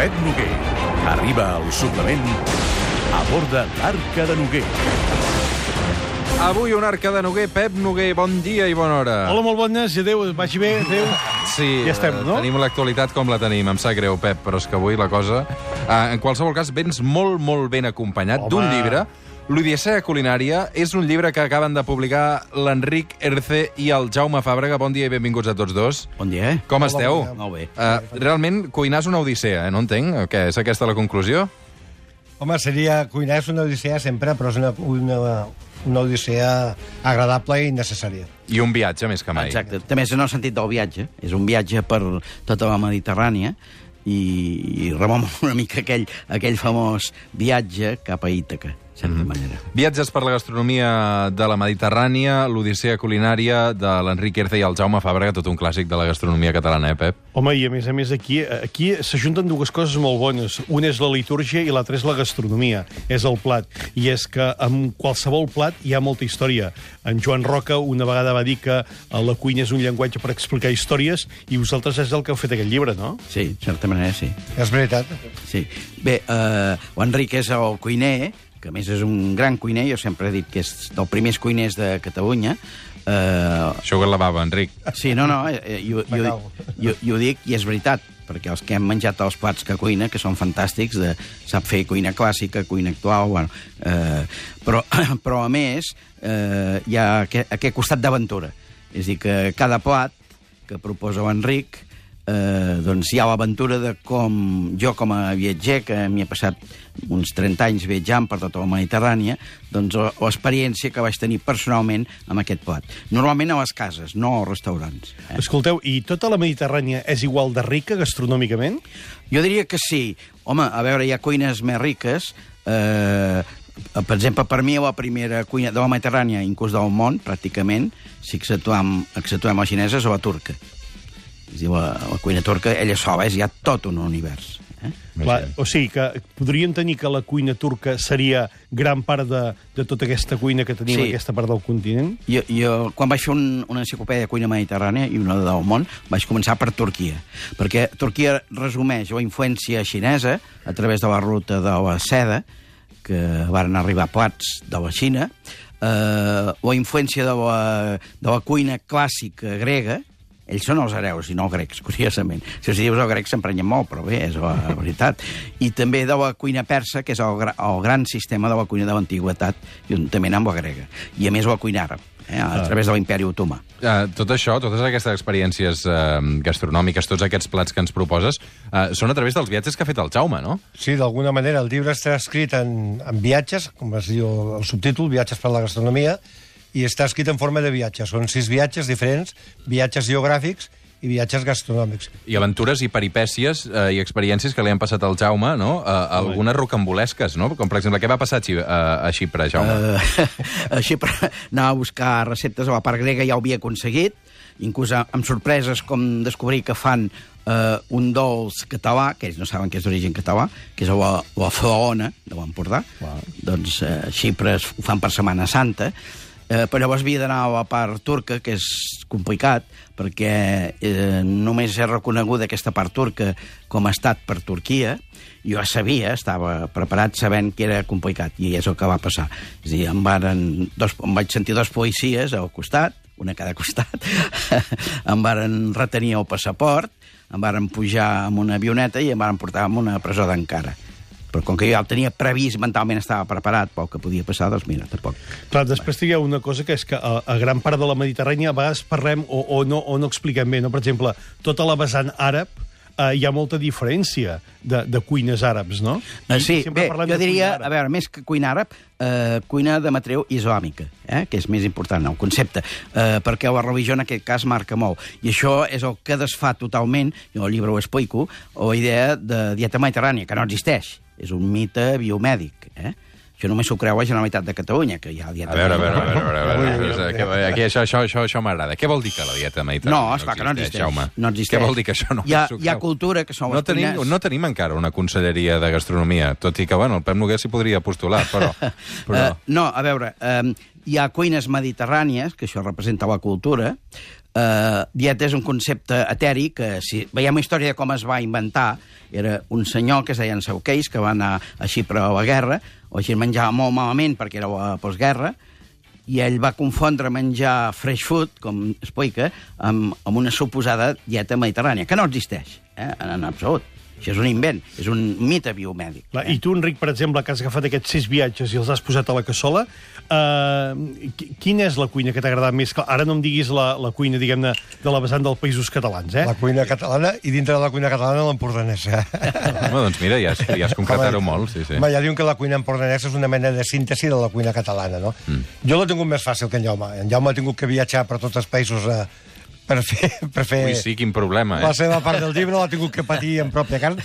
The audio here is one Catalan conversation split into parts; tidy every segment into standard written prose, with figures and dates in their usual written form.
Pep Noguer. Arriba al suplement a bord de l'Arca de Noguer. Avui un Arca de Noguer. Pep Noguer, bon dia i bona hora. Hola, molt bones, i adéu, vagi bé, adéu. Sí, ja estem, no? Tenim l'actualitat com la tenim. Em sap greu, Pep, però és que avui la cosa... en qualsevol cas, vens molt, molt ben acompanyat d'un llibre. L'Odissea culinària és un llibre que acaben de publicar l'Enric Erce i el Jaume Fàbrega. Bon dia i benvinguts a tots dos. Bon dia. Com esteu? Molt bé. Realment, cuinar és una odissea, no entenc? Què, és aquesta la conclusió? Home, cuinar és una odissea sempre, però és una odissea agradable i necessària. I un viatge, més que mai. Exacte. També és en el sentit del viatge. És un viatge per tota la Mediterrània i remou una mica aquell famós viatge cap a Ítaca, de certa manera. Viatges per la gastronomia de la Mediterrània, l'Odissea culinària de l'Enric Erce i el Jaume Fàbrega, tot un clàssic de la gastronomia catalana, Pep? Home, i a més aquí s'ajunten dues coses molt bones. Una és la litúrgia i l'altra és la gastronomia, és el plat. I és que amb qualsevol plat hi ha molta història. En Joan Roca una vegada va dir que la cuina és un llenguatge per explicar històries i vosaltres és el que heu fet aquest llibre, no? Sí, de certa manera, sí. És veritat. Sí. Bé, l'Enric és el cuiner, que a més és un gran cuiner, jo sempre he dit que és dels primers cuiners de Catalunya. Això la bava, Enric. Sí, no, jo dic i és veritat, perquè els que hem menjat els plats que cuina, que són fantàstics, sap fer cuina clàssica, cuina actual, bueno, però a més hi ha aquest costat d'aventura. És a dir, que cada plat que proposa l'Enric doncs hi ha l'aventura de com jo com a viatger, que m'hi he passat uns 30 anys viatjant per tota la Mediterrània, doncs l'experiència que vaig tenir personalment amb aquest plat. Normalment a les cases, no als restaurants. Escolteu, i tota la Mediterrània és igual de rica gastronòmicament? Jo diria que sí. Home, a veure, hi ha cuines més riques. Per exemple, per mi la primera cuina de la Mediterrània, inclús del món, pràcticament, si exceptuem la xinesa, és la turca. És a dir, la cuina turca, ella sola, és ja tot un univers. Clar, o sigui que podríem tenir que la cuina turca seria gran part de tota aquesta cuina que tenim, sí, aquesta part del continent? Jo quan vaig fer una enciclopèdia de cuina mediterrània i una del món, vaig començar per Turquia, perquè Turquia resumeix la influència xinesa a través de la ruta de la seda, que van arribar plats de la Xina, la influència de la cuina clàssica grega. Ells són els hereus i no els grecs, curiosament. Si els dius els grecs s'emprenyen molt, però bé, és la veritat. I també de la cuina persa, que és el gran sistema de la cuina de l'antiguitat, juntament amb la grega. I a més la cuina àrab, a través de l'imperi otomà. Tot això, totes aquestes experiències gastronòmiques, tots aquests plats que ens proposes, són a través dels viatges que ha fet el Jaume, no? Sí, d'alguna manera. El llibre està escrit en viatges, com es diu el subtítol, Viatges per la gastronomia, i està escrit en forma de viatges. Són 6 viatges diferents, viatges geogràfics i viatges gastronòmics. I aventures i peripècies i experiències que li han passat al Jaume, no? Algunes rocambolesques, no? Com, per exemple, què va passar a Xipre, Jaume? A Xipre anava a buscar receptes a la part grega, ja ho havia aconseguit, inclús amb sorpreses com descobrir que fan un dolç català, que ells no saben que és d'origen català, que és la flaona de l'Empordà. Doncs a Xipre ho fan per Setmana Santa, però llavors havia d'anar a la part turca, que és complicat, perquè només és reconeguda aquesta part turca com a estat per Turquia. Jo ja sabia, estava preparat sabent que era complicat, i és el que va passar. És a dir, em vaig sentir 2 policies al costat, una a cada costat, em varen retenir el passaport, em varen pujar amb una avioneta i em varen portar a una presó d'Ankara. Però com que jo ja el tenia previst, mentalment estava preparat pel que podia passar, doncs mira, tampoc. Clar, després hi ha una cosa que és que a gran part de la Mediterrània a vegades parlem o no expliquem bé, no? Per exemple, tota la vessant àrab hi ha molta diferència de cuines àrabs, no? Sí, bé, jo diria, a veure, més que cuina àrab, cuina de matriu islàmica, que és més important, el concepte, perquè la religió en aquest cas marca molt. I això és el que desfà totalment, jo al llibre ho explico, la idea de dieta mediterrània, que no existeix. És un mite biomèdic, Això només s'ho creu la Generalitat de Catalunya, que hi ha dieta... A veure, aquí això m'agrada. Què vol dir que la dieta mediterrània no esclar que no existeix? No existeix. Què vol dir que això no s'ho creu? Hi ha cultura que són les cuines... No tenim encara una conselleria de gastronomia, tot i que, bueno, el Pep Noguer s'hi podria postular, però... No, a veure, hi ha cuines mediterrànies, que això representa la cultura, Dieta és un concepte etèric que, si veiem la història de com es va inventar, era un senyor que es deia Sauqueix, que va anar a Xipre a la guerra, o així menjava molt malament perquè era la postguerra, i ell va confondre menjar fresh food, com explica, amb una suposada dieta mediterrània, que no existeix, en absolut. Això és un invent, és un mite biomèdic. I tu, Enric, per exemple, que has agafat aquests 6 viatges i els has posat a la cassola, quina és la cuina que t'ha agradat més? Ara no em diguis la cuina, diguem-ne, de la vessant dels Països Catalans, La cuina catalana, i dintre de la cuina catalana l'empordanesa. Home, doncs mira, ja has concretat-ho molt, sí. Home, ja diuen que la cuina empordanesa és una mena de síntesi de la cuina catalana, no? Jo l'he tingut més fàcil que en Jaume. En Jaume ha tingut que viatjar per tots els països per fer... Ui, sí, quin problema, La seva part del llibre l'ha tingut que patir en pròpia carn.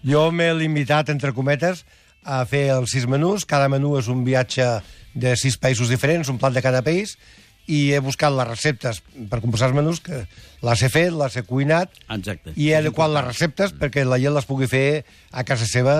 Jo m'he limitat, entre cometes, a fer els 6 menús. Cada menú és un viatge de 6 països diferents, un plat de cada país, i he buscat les receptes per composar els menús, que les he fet, les he cuinat, Exacte. i he adequat les receptes perquè la gent les pugui fer a casa seva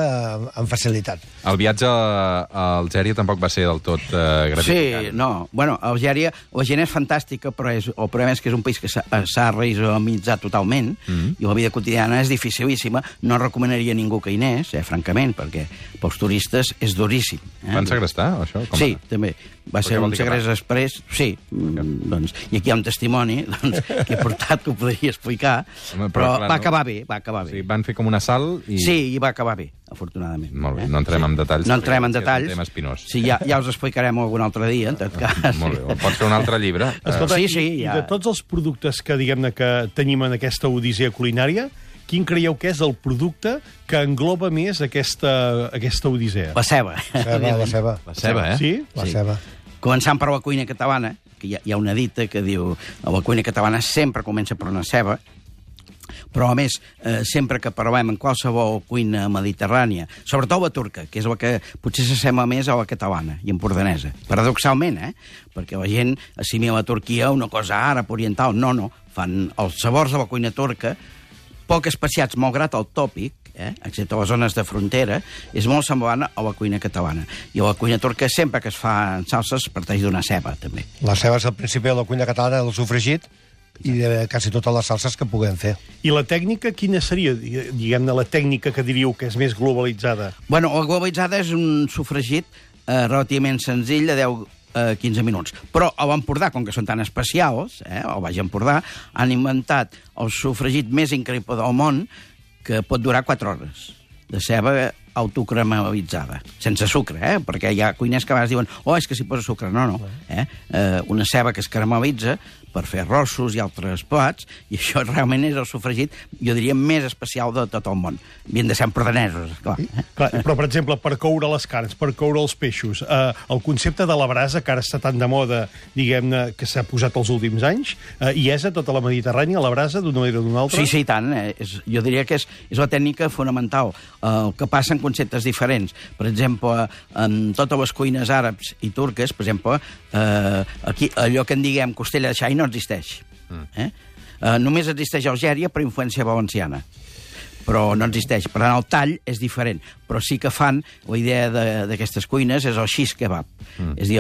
amb facilitat. El viatge a Algèria tampoc va ser del tot gratificant. Sí, no. Bueno, a Algèria la gent és fantàstica, però el problema és que és un país que s'ha reislamitzat totalment, i la vida quotidiana és dificilíssima. No recomanaria a ningú que hi anés, francament, perquè pels turistes és duríssim. Van segrestar, això? Sí, també. Va ser un segrest exprés, sí. Doncs, i aquí hi ha un testimoni que he portat que ho podria explicar, però va acabar bé, Sí, van fer com un assalt i... Sí, i va acabar bé, afortunadament. Molt bé, no entrem en detalls. No entrem en detalls. És un tema espinós. Sí, ja us explicarem algun altre dia, en tot cas. Molt bé, pots fer un altre llibre. Escolta, sí, i de tots els productes que, diguem-ne, que tenim en aquesta odissea culinària, quin creieu que és el producte que engloba més aquesta odissea? La ceba. La ceba. La ceba, Sí? La ceba. Començant per la cuina catalana, que hi ha una dita que diu la cuina catalana sempre comença per una ceba, però, a més, sempre que parlem en qualsevol cuina mediterrània, sobretot la turca, que és la que potser s'assembla més a la catalana i empordanesa, paradoxalment, perquè la gent assimila a Turquia una cosa àrab, oriental. No, fan els sabors de la cuina turca, poc especiats, malgrat el tòpic, excepte les zones de frontera, és molt semblant a la cuina catalana. I la cuina turca, sempre que es fa salses, parteix d'una ceba, també. La ceba és el principi de la cuina catalana, del sofregit, i de quasi totes les salses que puguem fer. I la tècnica, quina seria, diguem-ne, la tècnica que diríeu que és més globalitzada? Bueno, la globalitzada és un sofregit relativament senzill de 10-15 minuts. Però a l'Empordà, com que són tan especials, al Baix Empordà, han inventat el sofregit més increïble del món, que pot durar 4 hores, de ceba autocaramelitzada, sense sucre, perquè hi ha cuiners que a vegades diuen és que s'hi posa sucre. No. Una ceba que es caramelitza per fer arrossos i altres plats, i això realment és el sofregit, jo diria, més especial de tot el món. Havien de ser empordanesos, clar. Però, per exemple, per coure les carns, per coure els peixos, el concepte de la brasa, que ara està tan de moda, diguem-ne, que s'ha posat els últims anys, hi és a tota la Mediterrània, la brasa, d'una manera o d'una altra? Sí, tant. Jo diria que és la tècnica fonamental. El que passa en conceptes diferents. Per exemple, en totes les cuines àrabs i turques, per exemple, aquí allò que en diguem costella de xai no existeix. Només existeix a Algèria per influència valenciana, però no existeix. Per tant, el tall és diferent, però sí que fan, la idea d'aquestes cuines és el shish kebab, és a dir,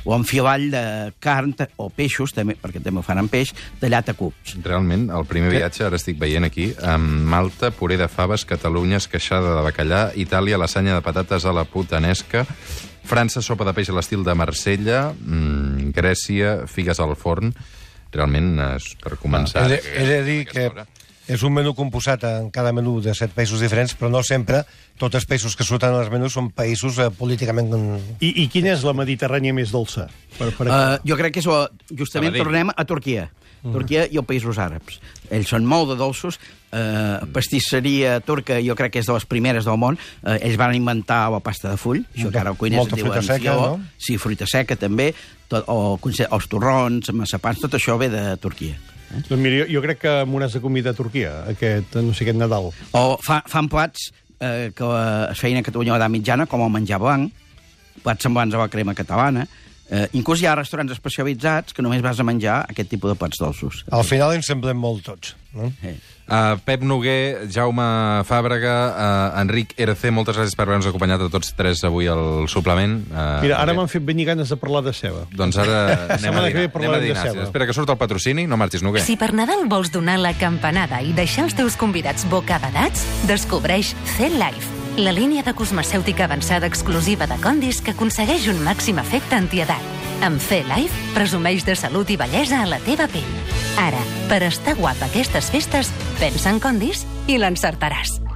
l'enfilall de carn o peixos, també, perquè també ho fan amb peix, tallat a cubs. Realment, el primer viatge, ara estic veient aquí, Malta, puré de faves, Catalunya, esqueixada de bacallà, Itàlia, lasanya de patates a la putanesca, França, sopa de peix a l'estil de Marsella, Grècia, figues al forn. Realment, per començar... He de dir que és un menú composat en cada menú de 7 països diferents, però no sempre tots els països que surten als menús són països políticament... I quina és la Mediterrània més dolça? Jo crec que és justament tornem a Turquia. Turquia i els països àrabs. Ells són molt de dolços. Pastisseria turca, jo crec que és de les primeres del món. Ells van inventar la pasta de full, això que ara el cuiners diuen fruita seca, no? Sí, fruita seca també, els torrons, massapans, tot això ve de Turquia. Doncs mira, jo crec que m'ho has de convidar a Turquia, aquest Nadal. O fan plats que es feien a Catalunya a l'edat mitjana, com el menjar blanc, plats semblants a la crema catalana, Inclús hi ha restaurants especialitzats que només vas a menjar aquest tipus de plats dolços. Al final ens semblem molt tots, no? Pep Noguer, Jaume Fàbrega, Enric RC, moltes gràcies per haver-nos acompanyat a tots tres avui al suplement. Mira, ara m'han fet venir ganes de parlar de ceba. Doncs ara anem a Setmana que ve dinar. parlarem de ceba. Espera que surt el patrocini, no marxis, Noguer. Si per Nadal vols donar la campanada i deixar els teus convidats bocabadats, descobreix C-Life, la línia de cosmecèutica avançada exclusiva de Condis que aconsegueix un màxim efecte antiedat. Amb C-Life, presumeix de salut i bellesa a la teva pell. Ara, per estar guapa aquestes festes, pensa en Condis i l'encertaràs.